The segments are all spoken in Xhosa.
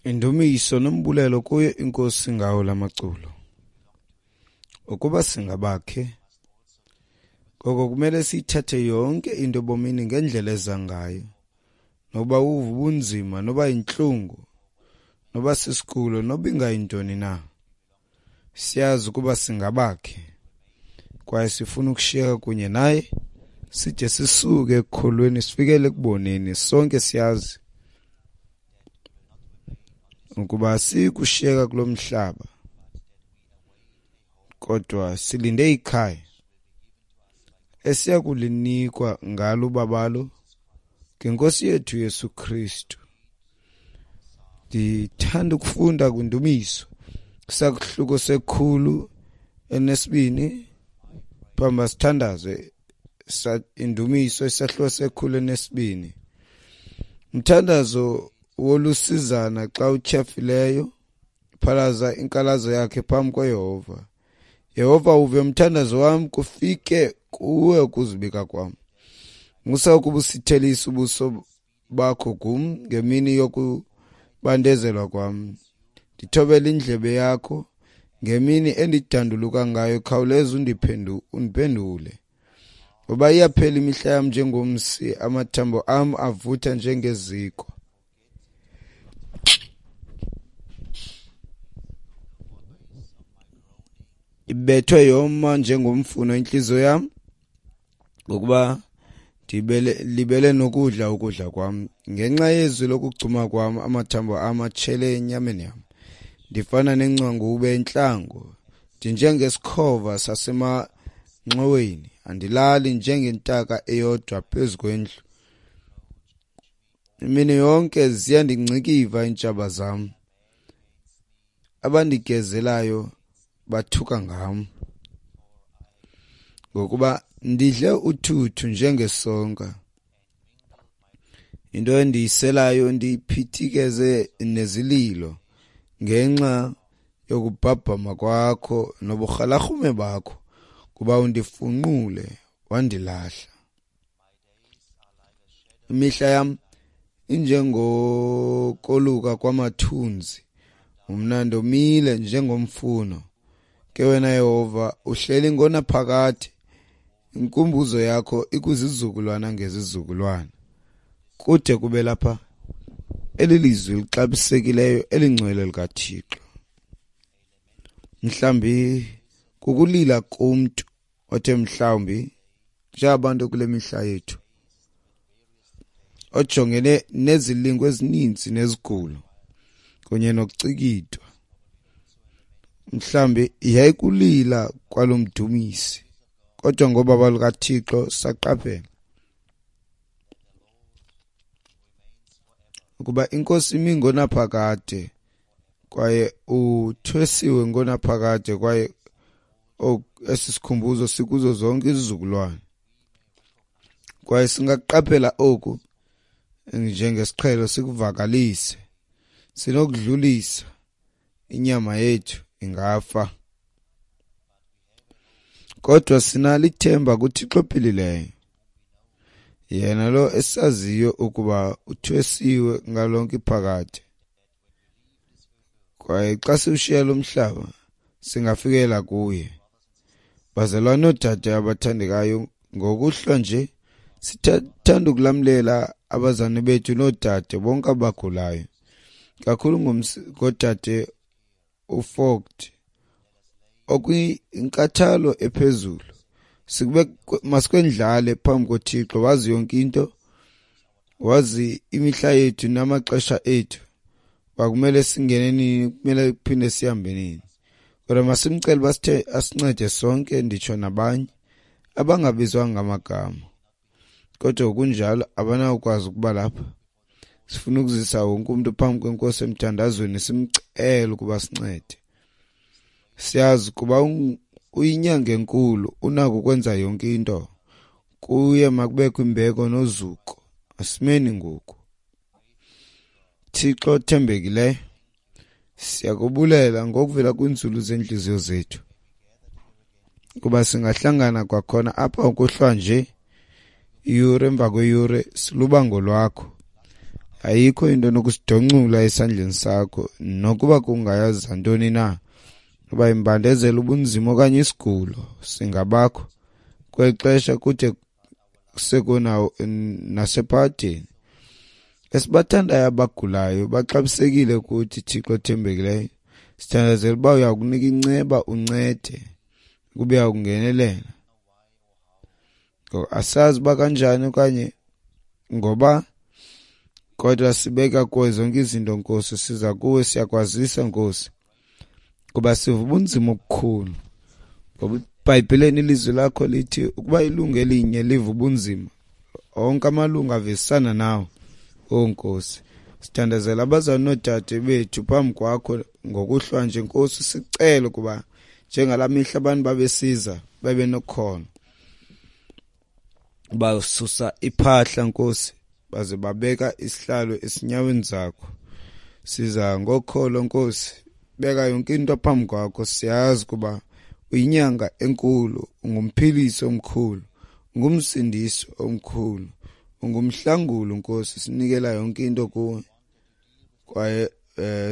Indumiso nombulelo kuyo iNkosi ngawo lamaculo. Ukuba singabakhe, ngoko kumele siyithathe yonke into ebomini ngendlela eza ngayo. Noba uva ubunzima, noba yintlungu, noba sisigulo, noba ingayintoni na. Siyazi ukuba singabakhe kwaye sifuna ukushiyeka kunye naye side sisuke ekukholweni sifikele ekuboneni. Sonke siyazi ukuba asikushiyeka kulo mhlaba, kodwa silinde ikhaya esiya kulinikwa ngalo ubabalo ngeNkosi yethu Yesu Kristu. Ndithanda ukufunda kwindumiso isahluko 102 phambi sithandaze. Indumiso isahluko 102. Umthandazo wolusizana xa utyhafileyo, phalaza inkalazo yakhe phambi koYehova. Yehova, uve umthandazo wam, kufike kuwe ukuzibika kwam. Musa ukubusithelisa ubuso bakho kum ngemini yokubandezelwa kwam. Ndithobele indlebe yakho ngemini endidanduluka ngayo, khawuleza undiphendule. Ngoba iyaphela imihla yam njengomsi, amathambo am avutha njengeziko. Ibethwe yoma njengomfuno intliziyo yam, ngokuba ndibele nokudla ukudla kwam. Ngenxa yezwi lokugcuma kwam, amathambo am atshele enyameni yam. Ndifana nengcwangube entlango, ndinjengesikhova sasemanxoweni. Andilali njengentaka eyodwa phezu kwendlu. Imini yonke ziyandingcikiva iintshaba zam, abandigezelayo bathuka ngam. Ngokuba ndidle uthuthu njengesonka, into endiyiselayo ndiyiphithikeze nezililo, ngenxa yokubhabhama kwakho noburhalarhume bakho, kuba undifunqule wandilahla. Imihla yam injengokoluka kwamathunzi, mna ndomile njengomfuno. Ke wena Yehova uhleli ngonaphakade, inkumbuzo yakho ikwizizukulwana ngezizukulwana. Kude kube lapha eli lizwi lixabisekileyo elingcwele likaThixo. Mhlawumbi kukulila kumntu othe mhlawumbi njengabantu kule mihla yethu ojongene nezilingo ezininzi nezigulo kunye nokucikidwa. Mhlawumbi yayikulila kwalo mdumisi, kodwa ngobaba lukaThixo saqaphela ukuba iNkosi imi ngonaphakade kwaye uthwesiwe ngonaphakade, kwaye esi sikhumbuzo sikuzo zonke izizukulwana. Kwaye singaqaphela oku njengesiqhelo sikuvakalise, sinokudlulisa inyama yethu ingafa, kodwa sinalo ithemba kuThixo ophilileyo, yena lo esaziyo ukuba uthwesiwe ngalonke iphakade. Kwaye xa siwushiya lo mhlaba singafikela kuye. Bazalwane noodade abathandekayo, ngokuhlwa nje sithanda ukulamlela abazali bethu noodade bonke abagulayo, kakhulu ngodade uFogt okwinkathalo ephezulu. Masikwendlale phambi koThixo, wazi yonke into, wazi imihla yethu namaxesha ethu, bakumele singene nini, kumele kuphinde sihambe nini. Kodwa masimcele uba asincede sonke, nditsho nabanye abangabizwanga ngamagama, kodwa kunjalo abanawukwazi ukuba lapha. Sifuna ukuzisa wonke umntu phambi kweNkosi emthandazweni, simcele ukuba sincede. Siyazi kuba uyinyanga enkulu, unako ukwenza yonke into. Kuye makubekho imbeko nozuko. Asimeni ngoku. Thixo othembekileyo, siyakubulela ngokuvela kwinzulu zeentliziyo zethu kuba singahlangana kwakhona apha ukuhlwa nje, iyure emva kweyure, silubango lwakho. Ayikho into enokusidoncula esandleni sakho, nokuba kungayaza ntoni na, uba imbandezelo, ubunzima okanye isigulo, singabakho kweli xesha kude sekunawo nasephakadeni. Esibathandayo abagulayo baxabisekile kuthi, Thixo othembekileyo. Sithandazela uba uya kunika inceba, uncede, kube uyakungenelela. Asazi uba kanjani okanye ngoba, kodwa sibeka kuwe zonke izinto, Nkosi. Siza kuwe, siyakwazisa, Nkosi, kuba siva ubunzima obukhulu. Ngoba eBhayibhileni ilizwi lakho lithi ukuba ilungu elinye liva ubunzima, onke amalungu avisana nawo. O Nkosi, sithandazela abazali noodade bethu phambi kwakho ngokuhlwa nje, Nkosi. Sicele ukuba njengalaa mihla abantu babesiza bebenokholo, basusa iphahla, Nkosi, baze babeka isihlalo esinyaweni zakho. Siza ngokholo, Nkosi, beka yonke into phambi kwakho. Siyazi ukuba uyinyanga enkulu, ungumphilisi omkhulu, ungumsindisi omkhulu, ungumhlanguli, Nkosi. Sinikela yonke into kuwe, kwaye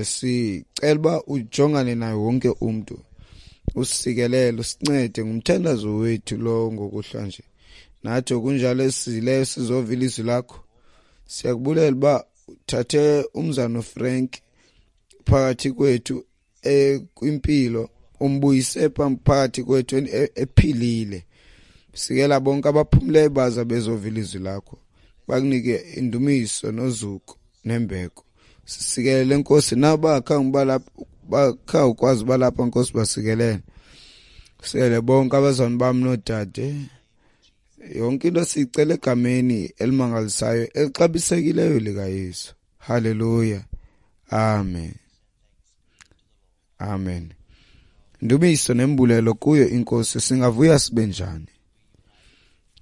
sicela uba ujongane naye wonke umntu, usikelele, usincede. Ngumthandazo wethu lo ngokuhlwa nje. Nathi okunjalo esizileyo sizova ilizwi lakho, siyakubulela uba uthathe umzana uFrank phakathi kwethu kwimpilo, umbuyise phakathi kwethu ephilile. Sikela bonke abaphumleyo baza bezova ilizwi lakho, bakunike indumiso nozuko nembeko. Sisikelele, Nkosi, nabo bakha ukwazi uba lapha, Nkosi, basikelele. Sikelele bonke abazalwane bam noodade. Yonke into siyicela egameni elimangalisayo elixabisekileyo likaYesu. Haleluya, amen, amen. Ndumiso nembulelo kuyo iNkosi. Singavuya sibe njani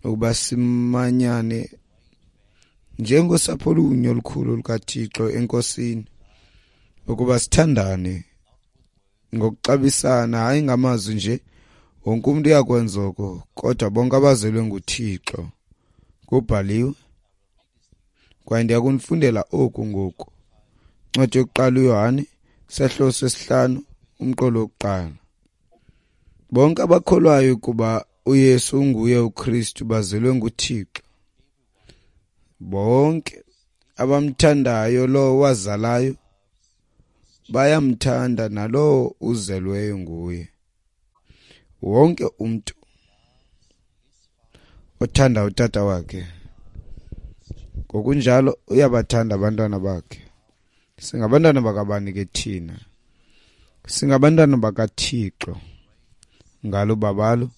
ukuba simanyane njengosapho olunye olukhulu lukaThixo eNkosini, ukuba sithandane ngokuxabisana, hayi ngamazwi nje. Wonke umuntu uyakwenza oko, kodwa bonke abazelwe nguThixo. Kubhaliwe, kwaye ndiyakunifundela oku ngoku. Incwadi yokuqala uYohane, sehlo sesihlanu, umqolo wokuqala. Bonke abakholwayo ukuba uYesu unguye uKristu bazelwe nguThixo. Bonke abamthandayo lowo wazalayo bayamthanda nalowo uzelweyo nguye. Wonke umntu othanda utata wakhe ngokunjalo uyabathanda abantwana bakhe. Singabantwana bakabani ke thina? Singabantwana bakaThixo. Ngalo babalo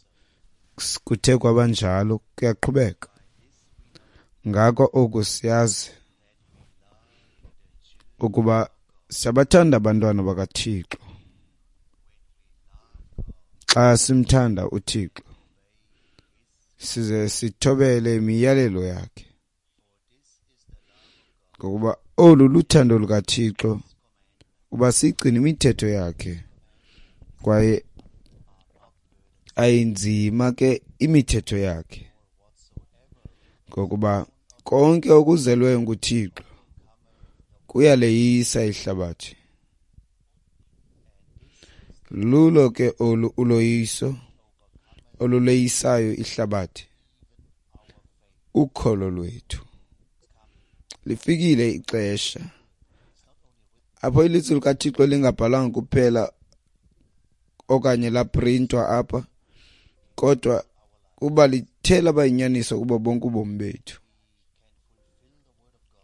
kuthe kwabanjalo, kuyaqhubeka. Ngako oku siyazi ukuba siyabathanda abantwana bakaThixo xa simthanda uThixo size sithobele imiyalelo yakhe, ngokuba olu luthando lukaThixo, uba sigcine imithetho yakhe, kwaye ayinzima ke imithetho yakhe, ngokuba konke okuzelweyo nguThixo kuyaleyisa ihlabathi. Lulo ke olu uloyiso oluleyisayo ihlabathi, ukholo lwethu. Lifikile ixesha apho ilizwi likaThixo lingabhalwanga kuphela okanye laprintwa apha, kodwa kuba lithe laba yinyaniso kubo bonke ubomi bethu.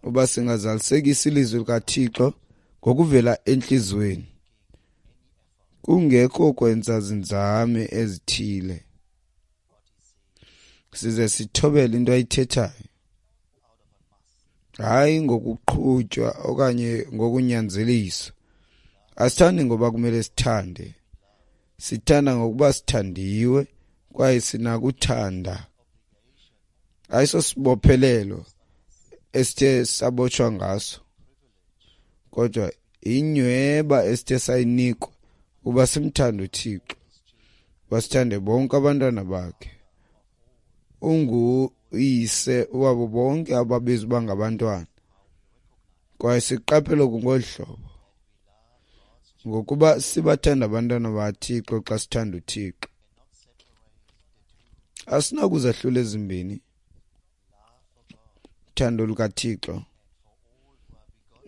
Uba singazalisekisa ilizwi likaThixo ngokuvela entliziyweni, kungekho kwenza zinzame ezithile, size sithobele into ayithethayo, hayi ngokuqhutywa okanye ngokunyanzeliswa. Asithandi ngoba kumele sithande, sithanda ngokuba sithandiwe kwaye sinakuthanda. Ayisosibophelelo esithe sabotshwa ngaso, kodwa inyweba esithe sayinikwa uba simthande uThixo, basithande bonke abantwana bakhe. Unguyise wabo bonke ababizwa uba ngabantwana. Kwaye siqaphela oku ngolu hlobo, ngokuba sibathanda abantwana bakaThixo xa sithanda uThixo. Asinakuzahlula ezimbini, uthando lukaThixo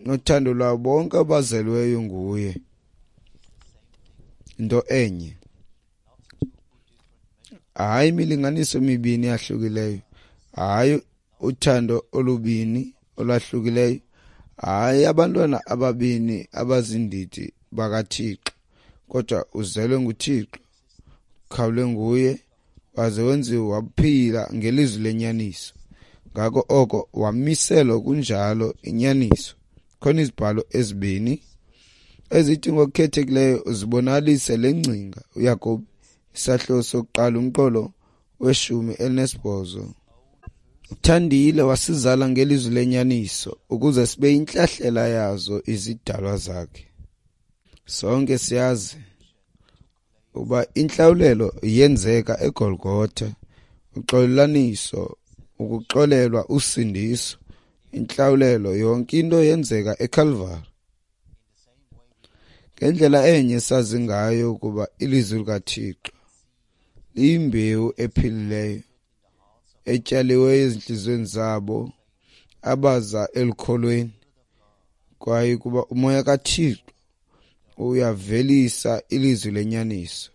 nothando lwabo bonke abazelweyo nguye, into enye. Hayi imilinganiso emibini eyahlukileyo, hayi uthando olubini olwahlukileyo, hayi abantwana ababini abazindidi bakaThixo, kodwa uzelwe nguThixo, ukhawulwe nguye, waze wenziwa waphila ngelizwi lenyaniso. Ngako oko wamiselwa kunjalo inyaniso. Khona izibhalo ezibini ezithi ngokukhethekileyo zibonalise le ngcinga. UYakobi isahluko sokuqala umqolo weshumi elinesibhozo. Uthandile wasizala ngelizwi lenyaniso ukuze sibe yintlahlela yazo izidalwa zakhe. Sonke siyazi uba intlawulelo yenzeka eGolgotha, uxolelaniso, ukuxolelwa, usindiso, intlawulelo, yonke into yenzeka eCalvary. Ngendlela enye sazi ngayo ukuba ilizwi likaThixo liyimbewu ephilileyo etyaliweyo ezintliziyweni zabo abaza elukholweni, kwaye kuba umoya kaThixo uyavelisa ilizwi lenyaniso,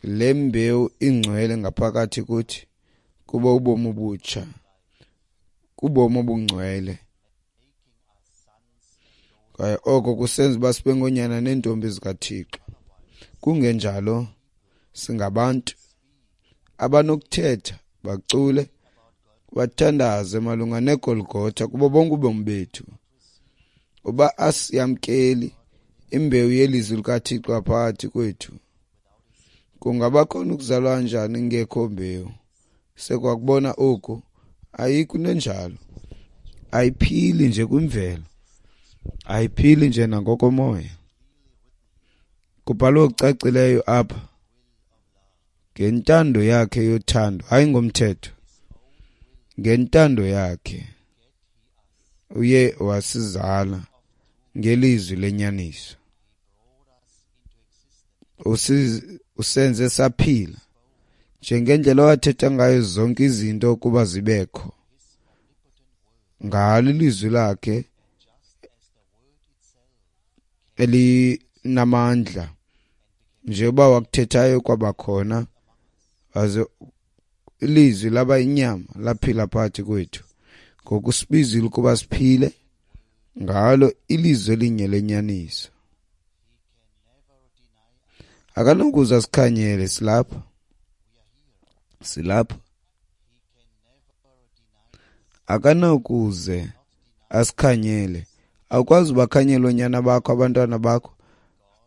le mbewu ingcwele ngaphakathi kuthi kuba ubomi obutsha, kubomi obungcwele. Kwaye oko kusenza uba sibe ngoonyana neentombi zikaThixo. Kungenjalo singabantu abanokuthetha, bacule, bathandaze malunga neGolgotha kubo bonke ubomi bethu. Uba asiyamkeli imbewu yelizwi likaThixo phakathi kwethu, kungaba khona ukuzalwa njani ingekho mbewu? Sekwakubona oku, ayikho into enjalo. Ayiphili nje kwimvelo, ayiphili nje nangokomoya. Kubhalwe okucacileyo apha ngentando yakhe yothando, hayi ngomthetho, ngentando yakhe uye wasizala ngelizwi lenyaniso. Usenze saphila njengendlela owathetha ngayo zonke izinto ukuba zibekho. Ngalo ilizwi lakhe elinamandla, njengoba wakuthethayo kwabakhona, waze ilizwi laba inyama laphila phakathi kwethu. Ngoku sibizile ukuba siphile ngalo ilizwi elinye lenyaniso. Akanokuza sikhanyele, silapha, silapha. Akanokuze asikhanyele. Awukwazi ubakhanyela oonyana bakho, abantwana bakho.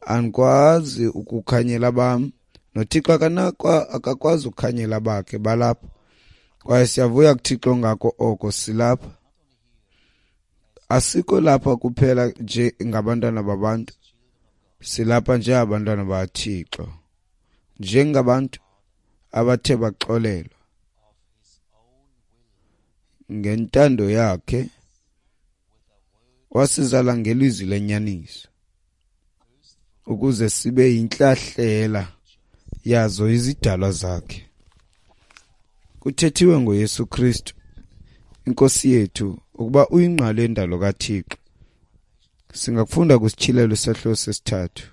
Andikwazi ukukhanyela bam. NoThixo akakwazi ukukhanyela bakhe, balapha. Kwaye siyavuya kuThixo ngako oko, silapha. Asikho lapha kuphela nje ngabantwana babantu, silapha njengabantwana bakaThixo, njengabantu abathe baxolelwa ngentando yakhe. Wasizala ngelizwi lenyaniso ukuze sibe yintlahlela yazo izidalwa zakhe. Kuthethiwe ngoYesu Kristu iNkosi yethu ukuba uyingqalo yendalo kaThixo. Singakufunda kwisityhilelo isahluko sesithathu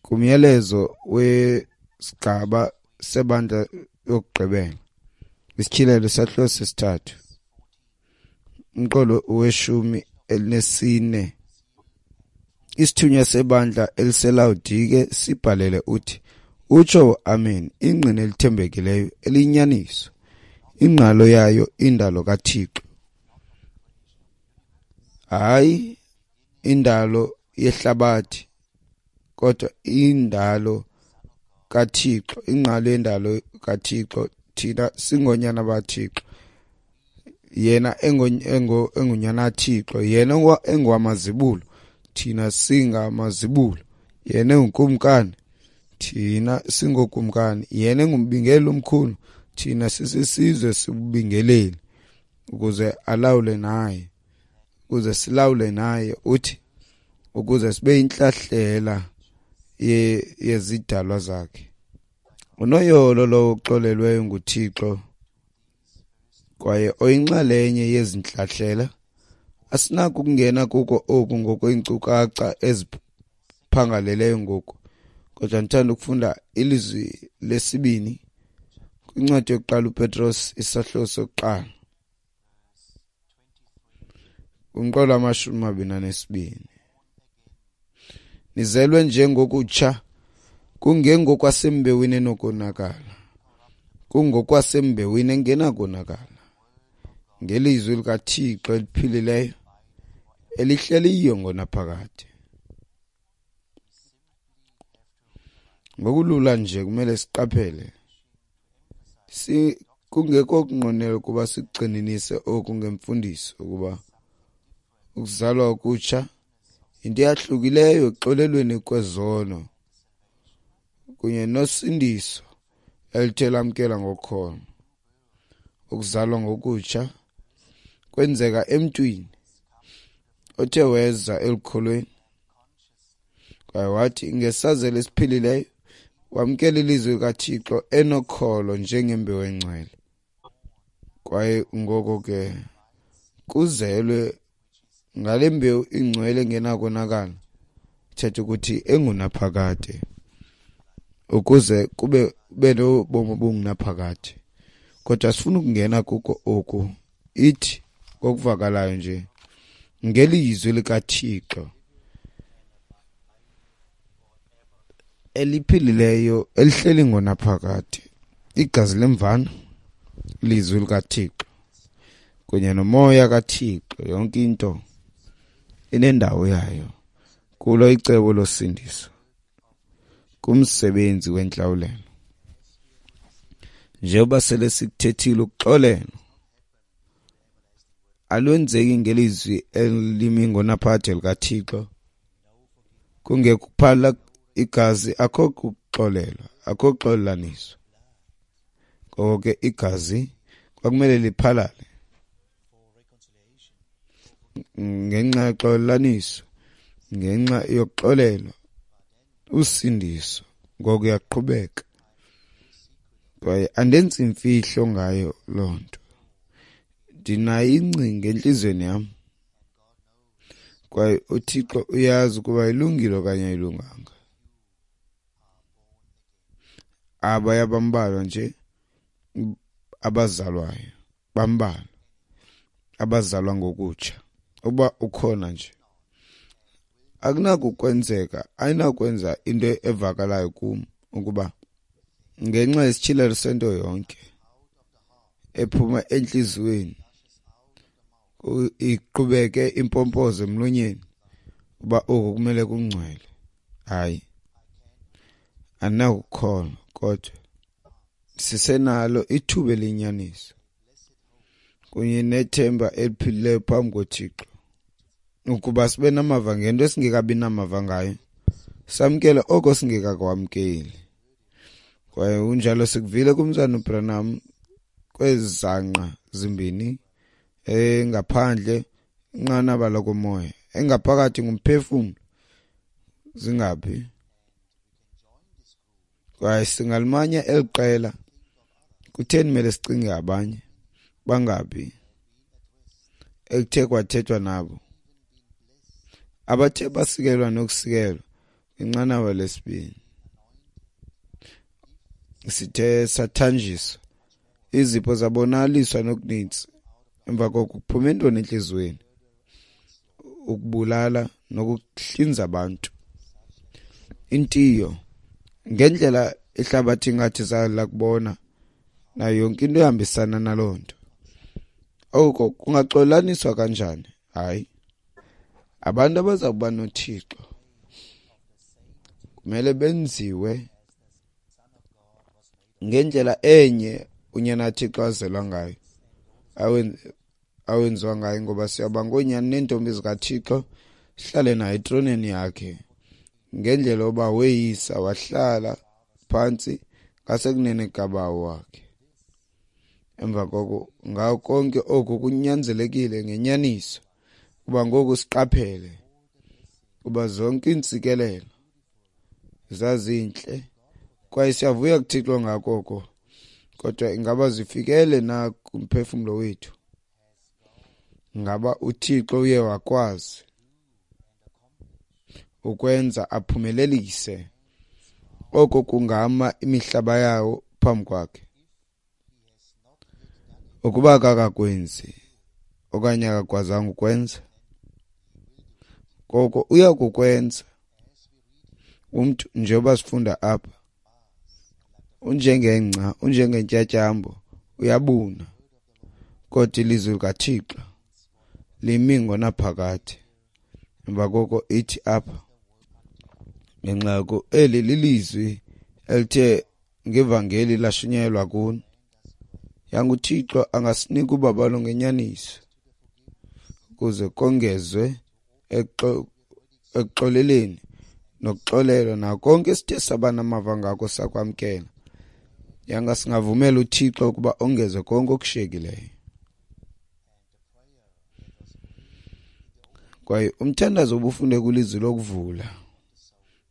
kumyalezo wesigaba sebandla yokugqibela. Isityhilelo isahluko sesithathu umqolo weshumi elinesine. Isithunywa sebandla eliseLawodike sibhalele uthi, utsho amen, ingqina elithembekileyo eliyinyaniso, ingqalo yayo indalo kaThixo, hayi indalo yehlabathi, kodwa indalo kaThixo, ingqalo yendalo kaThixo. Thina singonyana baThixo, yena engunyana kaThixo, yena engowamazibulo, thina singamazibulo, yena engukumkani, thina singokumkani, yena engumbingeleli omkhulu, thina sisisizwe sibubingeleli, ukuze alawule naye. ukuze silawule naye, uthi ukuze sibe yintlahlela yezidalwa zakhe. Unoyolo lowo uxolelweyo nguThixo kwaye oyinxalenye yezintlahlela. Asinako ukungena kuko oku ngokweenkcukacha eziphangaleleyo ngoku, kodwa ndithanda ukufunda ilizwi lesibini kwincwadi yokuqala uPetros isahluko sokuqala kumqolo wama-22. Nizelwe njengokutsha, kungengokwasembewini enokonakala, kungokwasembewini engenakonakala, ngelizwi likaThixo eliphilileyo elihleliyo ngonaphakade. Ngokulula nje kumele siqaphele, kungekho kunqwenela ukuba sigxininise oku ngemfundiso ukuba ukuzalwa okutsha yinto eyahlukileyo ekuxolelweni kwezono kunye nosindiso elithe lamkela ngokholo. Ukuzalwa ngokutsha kwenzeka emntwini othe weza elukholweni kwaye wathi ngesazela esiphilileyo wamkela ilizwi likaThixo enokholo njengembewu engcwele. Kwaye ngoko ke kuzelwe ngale mbewu ingcwele engenakonakala, ithetha ukuthi engunaphakade, ukuze kube nobomi obungunaphakade. Kodwa sifuna ukungena kuko oku, ithi ngokuvakalayo nje ngelizwi likaThixo eliphilileyo elihleli ngonaphakade, igazi lemvana, ilizwi likaThixo kunye nomoya kaThixo. Yonke into inendawo yayo kulo icebo losindiso, kumsebenzi wentlawulelo. Njengoba sele sikuthethile, ukuxolelwa alwenzeki ngelizwi elimi ngonaphakade likaThixo, kungekuphala igazi akho kuxolelwa, akho kuxolelaniswa. Ngoko ke igazi kwakumele liphalale ngenxa yoxolelaniso, ngenxa yokuxolelwa usindiso. Ngoku uyaqhubeka, kwaye andenzi imfihlo ngayo loo nto, ndinayo ingcinga entliziyweni yam, kwaye uThixo uyazi ukuba ilungile okanye ayilunganga. Abaya bambalwa nje abazalwayo, bambalwa abazalwa ngokutsha. Uba ukhona nje, akunakukwenzeka, ayinakwenza into evakalayo kum ukuba ngenxa yesityhilelo sento yonke ephuma entliziyweni iqhubeke impompozo emlonyeni uba oku kumele kungcwele. Hayi, andinakukholwa, kodwa sisenalo ithuba eliyinyaniso kunye nethemba eliphilileyo phambi koThixo ukuba sibe namava ngento esingekabi namava ngayo, samkele oko singekakwamkeli. Kwaye unjalo sikuvile kumzana uBranham kwezangqa zimbini, engaphandle inqanaba lokomoya, engaphakathi ngumphefumlo, zingaphi. Kwaye singalimanya eli qela. Kutheni mele sicinge abanye bangaphi ekuthe kwathethwa nabo, abathe basikelwa nokusikelwa kwinqanaba lesibini? Sithe sathanjiswa, izipho zabonakaliswa nokunintsi. Emva koko kuphume intoni entliziyweni? Ukubulala nokuhlinza abantu, intiyo ngendlela ihlabathi ingathi zalakubona nayo yonke into ehambisana naloo nto. Oko kungaxolelaniswa kanjani? Hayi, abantu abaza kuba noThixo kumele benziwe ngendlela enye unyana kaThixo azelwa ngayo, awenziwa ngayo, ngoba siyaba ngoonyana neentombi zikaThixo, sihlale naye etroneni yakhe ngendlela yoba weyisa wahlala phantsi ngasekunene kaBawo wakhe. Emva koko ngawo konke oku kunyanzelekile ngenyaniso. Kuba ngoku siqaphele kuba zonke iintsikelelo zazintle kwaye siyavuya kuThixo ngako oko, kodwa ingaba zifikele na kumphefumlo wethu? Ngaba uThixo uye wakwazi ukwenza aphumelelise oko kungama imihlaba yawo phambi kwakhe? Ukuba akakakwenzi okanye akakwazanga ukwenza, koko uya kukwenza. Umntu, njengoba sifunda apha, unjengengca, unjengentyatyambo, uyabuna, kodwa ilizwi likaThixo limi ngonaphakade. Emva koko ithi apha, ngenxa yoko eli lilizwi elithe ngevangeli lashunyayelwa kuni. YanguThixo angasinika ubabalo ngenyaniso ukuze kongezwe ekuxoleleni nokuxolelwa nako konke esithe saba namava ngako sakwamkela. Yanga singavumela uThixo ukuba ongeze konke okushiyekileyo. Kwaye umthandazo obufunde kwilizwi lokuvula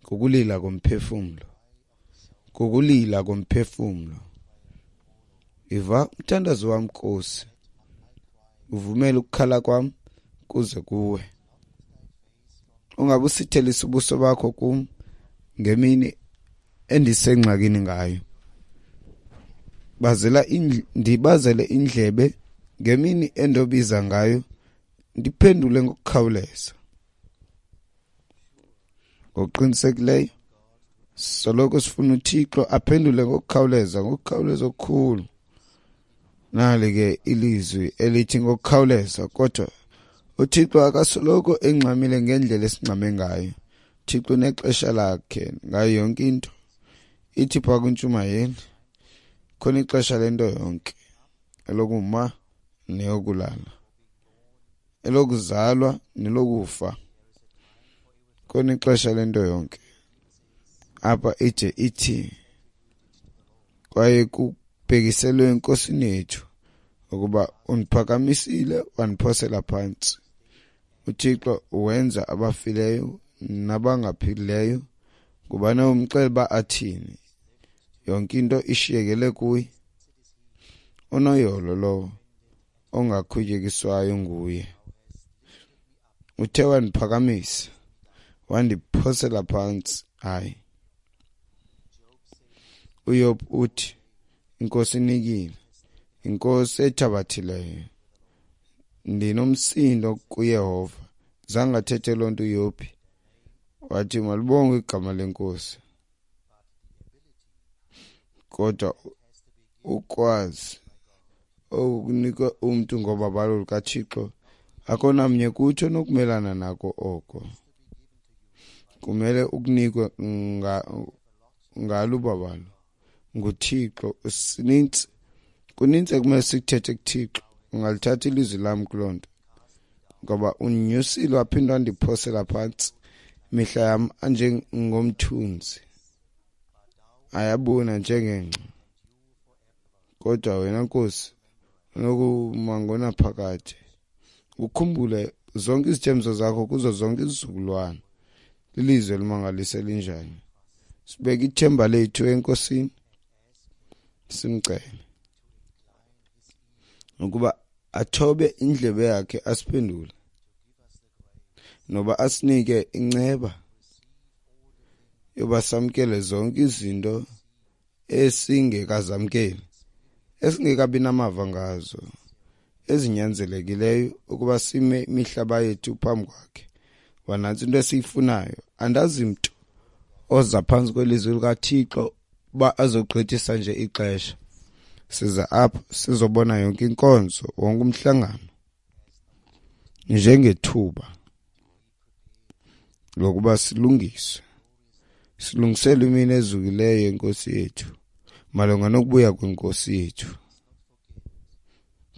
kukulila komphefumlo, kukulila komphefumlo. Iva umthandazo wam, Nkosi, uvumele ukukhala kwam kuze kuwe. Ungabusithelisi ubuso bakho kum ngemini endisengxakini ngayo. Ndibazele indlebe ngemini endobiza ngayo, ndiphendule ngokukhawuleza. Ngokuqinisekileyo soloko sifuna uThixo aphendule ngokukhawuleza, ngokukhawuleza okukhulu. Nali ke ilizwi elithi ngokukhawuleza, kodwa uThixo akasoloko engxamile ngendlela esingxame ngayo. uThixo unexesha lakhe ngayo yonke into. Ithi phaa kwintshumayeli, khona ixesha lento yonke, elokuma neyokulala, elokuzalwa nelokufa. Khona ixesha lento yonke. Apha ide ithi kwaye kubhekiselwe enkosini yethu ukuba undiphakamisile wandiphosela phantsi. uThixo wenza abafileyo nabangaphilileyo. Ngubani umxela uba athini? Yonke into ishiyekele kuye. Unoyolo lowo ongakhutyekiswayo nguye. Uthe wandiphakamisa wandiphosela phantsi. Hayi, uYob uthi inkosi inikile, inkosi ethabathileyo. Ndinomsindo kuYehova. Zange athethe loo nto uYobhi, wathi malibongwe igama lenkosi. Kodwa ukwazi okunikwe umntu ngobabalo lukaThixo, akho namnye kuthi onokumelana nako oko. Kumele ukunikwe ngalo ubabalo nguThixo. Sinintsi, kunintsi ekumele sikuthethe kuThixo. Ungalithatha ilizwi lam kuloo nto, ngoba undinyusile waphinda wandiphosela phantsi. Imihla yam anjengomthunzi, ayabuna njengengca. Kodwa wena Nkosi unokuma ngonaphakade, ukhumbule zonke izithembiso zakho kuzo zonke izizukulwana. Lilizwi elimangalisa elinjani! Sibeke ithemba lethu eNkosini, simcele ukuba athobe indlebe yakhe asiphendule, noba asinike inceba yoba samkele zonke izinto esingekazamkeli, esingekabi namava ngazo, ezinyanzelekileyo ukuba sime imihlaba yethu phambi kwakhe. Wanantsi into esiyifunayo. Andazi mntu oza phantsi kwelizwi likaThixo uba azogqithisa nje ixesha. Siza apha sizobona yonke inkonzo, wonke umhlangano njengethuba lokuba silungiswe, silungisele imini ezukileyo yenkosi yethu, malunga nokubuya kwenkosi yethu.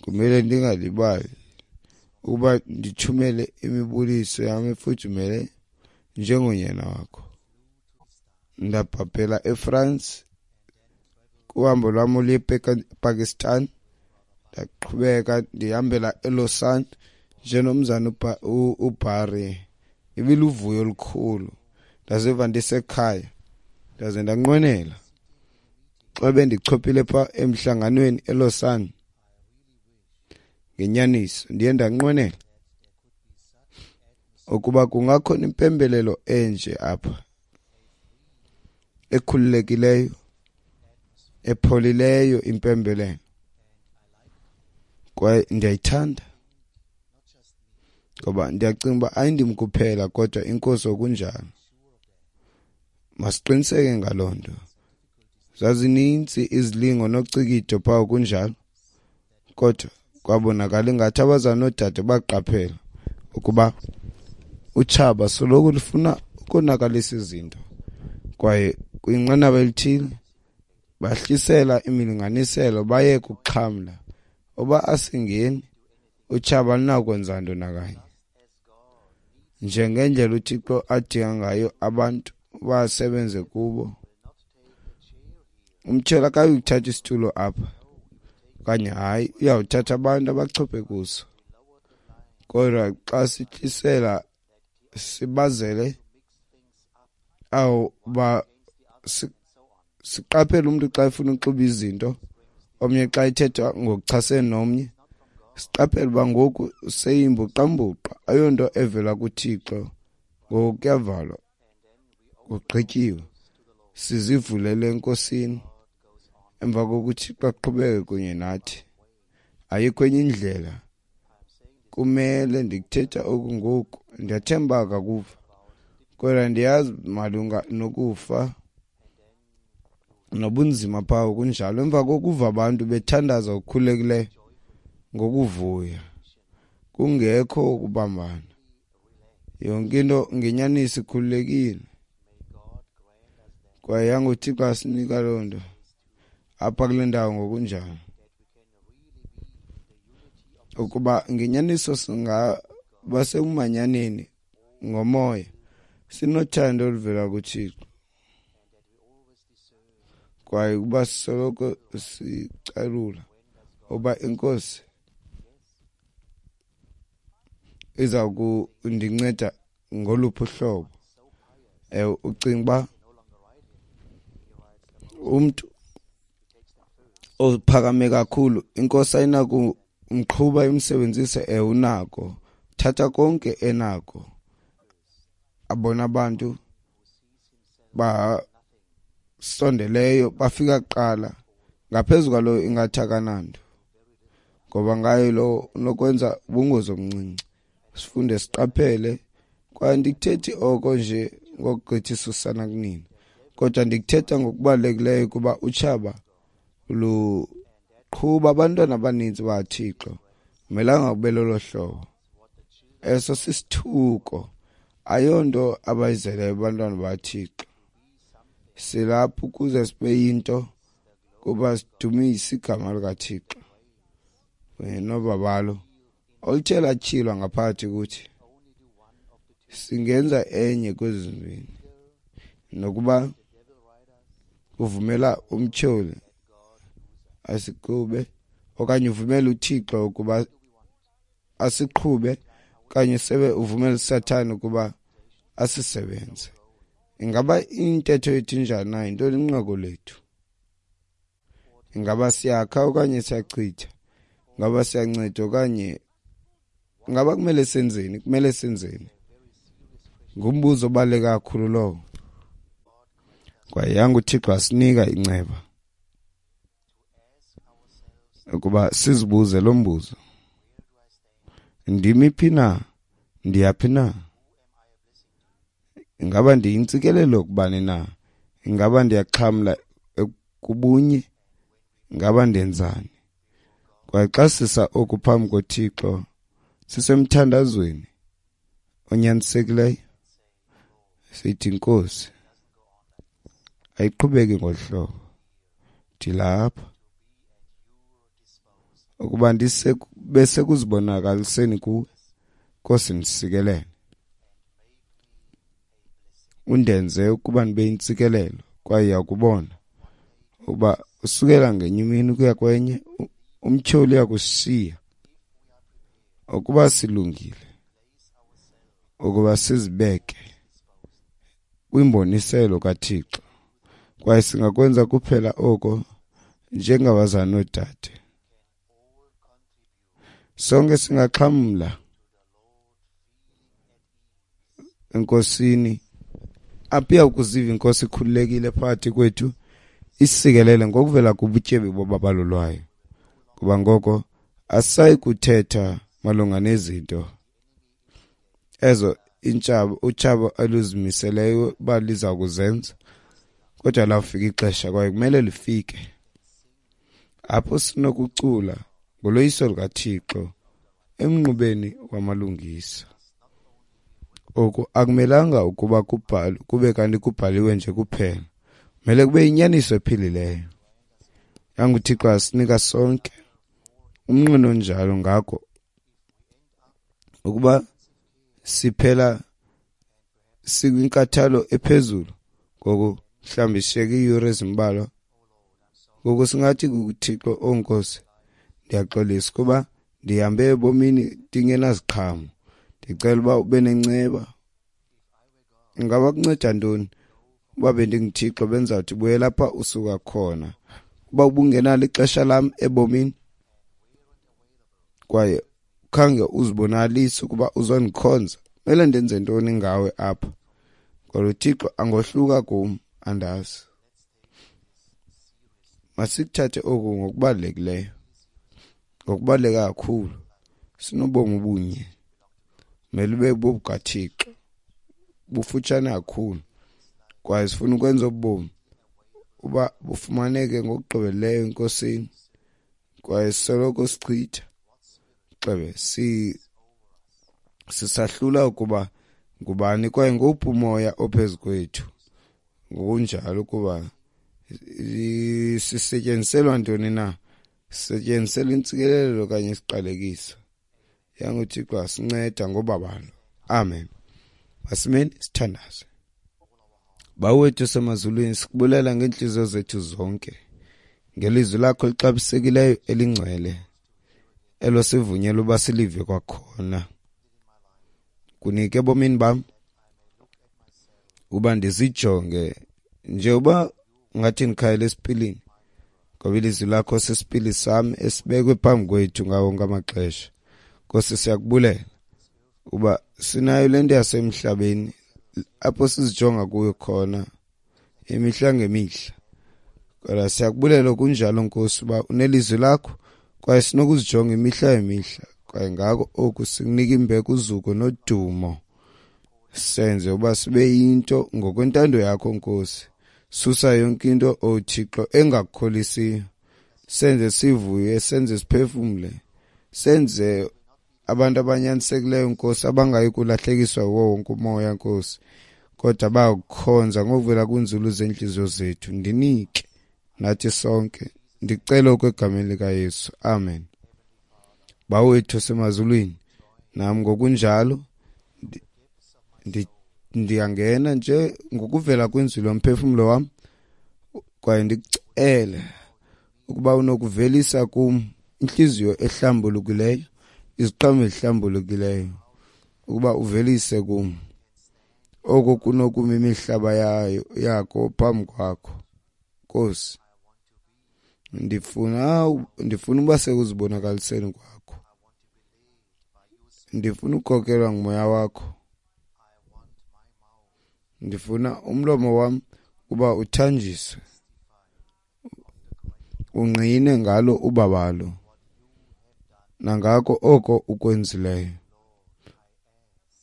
Kumele ndingalibali ukuba ndithumele imibuliso yam efudumele njengonyana wakho. Ndabhabhela eFrance kuhambo lwam oluye ePakistan, ndaqhubeka ndihambela eLausanne, Njennomzana uBarry, ibiluvuyo olukhulu. Ndaziva ndisekhaya, ndaze ndanqwenela xa bendichophile pha emhlanganweni eLausanne. Ngenyaniso ndiye ndanqwenela ukuba kungakhona impembelelo enje apha, ekhululekileyo, epholileyo impembelelo. Kwaye ndiyayithanda ngoba ndiyacinga uba ayindim kuphela kodwa inkosi okunjalo. Masiqiniseke ngaloo nto. Zazininzi izilingo nocikido phaa kunjalo, kodwa kwabonakala ingathi abazalwana noodade baqaphela ukuba utshaba soloko lufuna ukonakalisa izinto, kwaye kwinqanaba elithile bahlisela imilinganiselo baye kuxhamla. Uba asingeni, utshaba alinakwenza nto nakanye. Njengendlela uThixo adinga ngayo abantu basebenze kubo, umtyholi akayikuthatha isitulo apha okanye hayi, uyawuthatha abantu abachophe kuso. Kodwa xa sihlisela sibazele awu ba siqaphele umntu xa efuna uxuba izinto, omnye xa ethetha ngokuchasene nomnye, siqaphele uba ngoku seyimbuqambuqa, ayonto evela kuThixo. Ngoku kuyavalwa, kugqityiwe, sizivulele eNkosini. Emva kokuthi uThixo aqhubeke kunye nathi, ayikho enye indlela. Kumele ndikuthetha oku ngoku, ndiyathemba akakuva, kodwa ndiyazi malunga nokufa nobunzima phaa kunjalo. Emva kokuva abantu bethandaza ngokukhululekileyo, ngokuvuya, kungekho ukubambana, yonke into ngenyaniso ikhululekile. Kwaye yanguThixo asinika loo nto apha kule ndawo ngokunjalo, ukuba ngenyaniso singaba sekumanyaneni ngomoya, sinothando oluvela kuThixo, kwaye ukuba sisoloko sicalula uba inkosi iza kundinceda ngoluphi uhlobo. Ucinga uba umntu ophakame kakhulu inkosi ayinakumqhuba imsebenzise? Unako. Thatha konke enako. Abona abantu basondeleyo bafika kuqala, ngaphezu kwaloyo ingathi akananto, ngoba ngayo lo unokwenza ubungozi obuncinci. Sifunde siqaphele, kwaye andikuthethi oko nje ngokugqithisa usana kunina, kodwa ndikuthetha ngokubalulekileyo kuba utshaba luqhuba abantwana abanintsi baThixo. Kumelanga kube lolo hlobo. Eso sisithuko, ayonto abayizeleyo abantwana baThixo. Silapha ukuze sibe yinto kuba sidumise igama likaThixo kunye nobabalo oluthe latyhilwa ngaphakathi kuthi. Singenza enye kwezi zimbini, nokuba uvumela umtyholi asiqhube okanye uvumela uThixo ukuba asiqhube, okanye sebe uvumela uSathane ukuba asisebenze. Ingaba intetho yethu injani na? Yintoni inqaku lethu? Ingaba siyakha okanye siyachitha? Ingaba siyanceda okanye ingaba kumele senzeni? Kumele senzeni? Ngumbuzo obaluleke kakhulu lowo. Kwaye yanga uThixo asinika inceba ukuba sizibuze lo mbuzo: ndimi phi na? Ndiyaphi na? Ingaba ndiyintsikelelo kubani na? Ingaba ndiyaxhamla kubunye? Ingaba ndenzani? Kwaye xa sisa oku phambi koThixo, sisemthandazweni onyanisekileyo, sithi, Nkosi, ayiqhubeki ngolu hlobo, ndilapha ukuba bese kuzibonakaliseni kuwe. Nkosi, ndisikelele, undenze ukuba ndibe yintsikelelo. Kwaye uyakubona ukuba usukela ngenye imini ukuya kwenye, umtyholi uyakushiya. Ukuba silungile ukuba sizibeke kwimboniselo kaThixo, kwaye singakwenza kuphela oko njengabazali noodade. Sonke singaxhamla enkosini apho iya kuziva inkosi ikhululekile phakathi kwethu, isikelele ngokuvela kubutyebi bobabalo lwayo. Kuba ngoko asisayi kuthetha malunga nezinto ezo intshaba utshaba oluzimiseleyo uba liza kuzenza, kodwa lawufika ixesha, kwaye kumele lifike, apho sinokucula ngoloyiso lukaThixo emnqubeni wamalungisa. Oku akumelanga ukuba kubhalwe, kube kanti kubhaliwe nje kuphela. Kumele kube yinyaniso ephilileyo. YanguThixo asinika sonke umnqweno onjalo. Ngako ukuba siphela sikwinkathalo ephezulu, ngoku mhlawumbi sishiyeke iiyure ezimbalwa, ngoku singathi kuThixo, "Oh Nkosi, ndiyaxolisa kuba ndihambe ebomini ndingenaziqhamo. Ndicela uba ube nenceba." Ingaba kunceda ntoni uba bendinguThixo bendizawuthi buyela apha usuka khona, uba ubungenalo ixesha lam ebomini kwaye khange uzibonalise ukuba uzondikhonza? Kumele ndenze ntoni ngawe apha? Kodwa uThixo angohluka kum, andazi. Masikuthathe oku ngokubalulekileyo, ngokubaluleka kakhulu. Sinobomi obunye, kumele ube bobukaThixo, bufutshane kakhulu, kwaye sifuna ukwenza obu bomi uba bufumaneke ngokugqibeleleyo enkosini. Kwaye soloko sichitha xebe sisahlula ukuba ngubani kwaye ngowuphi umoya ophezu kwethu, ngokunjalo kuba sisetyenziselwa ntoni na, sisetyenziselwa intsikelelo okanye isiqalekiso. YanguThixo asinceda ngobabalo. Amen. Masimeni sithandaze. Bawo wethu osemazulwini, sikubulela ngeentliziyo zethu zonke ngelizwi lakho elixabisekileyo elingcwele elo sivunyelwe uba silive kwakhona. Kunike ebomini bam uba ndizijonge nje uba ngathi ndikhayela esipilini, ngoba ilizwi lakho sisipili sam esibekwe phambi kwethu ngawo wonke amaxesha. Nkosi, siyakubulela uba sinayo le nto yasemhlabeni apho sizijonga kuyo khona imihla ngemihla, kodwa siyakubulela kunjalo Nkosi uba unelizwi lakho kwaye sinokuzijonga imihla ngemihla. Kwaye ngako oku sikunika imbeko, uzuko nodumo. Senze uba sibe yinto ngokwentando yakho Nkosi. Susa yonke into, O Thixo, engakukholisiyo. Senze sivuye, senze siphefumle, senze abantu abanyanisekileyo Nkosi, abangayi kulahlekiswa wuwo wonke umoya Nkosi, kodwa bayakukhonza ngokuvela kwinzulu zeentliziyo zethu. Ndinike nathi sonke, ndicela oku egameni likaYesu. Amen. Bawo wethu osemazulwini, nam ngokunjalo ndiyangena nje ngokuvela kwinzulu yomphefumlo wam, kwaye ndikucele ukuba unokuvelisa kum intliziyo ehlambulukileyo, iziqhamo ezihlambulukileyo, ukuba uvelise kum oko kunokuma imihlaba yayo yakho phambi kwakho Nkosi. Ndifuna uba sekuzibonakaliseni kwakho, ndifuna ukukhokelwa ngumoya wakho, ndifuna umlomo wam uba uthanjiswe, ungqine ngalo ubabalo nangako oko ukwenzileyo.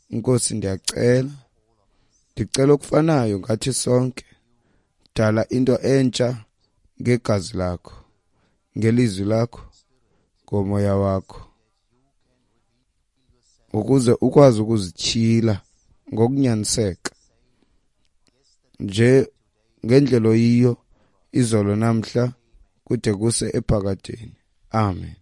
Nkosi, ndiyacela, ndicela okufanayo ngathi sonke. Dala into entsha ngegazi lakho, ngelizwi lakho, ngomoya wakho, ukuze ukwazi ukuzityhila ngokunyaniseka nje ngendlela oyiyo izolo, namhla, kude kuse ephakadeni. Amen.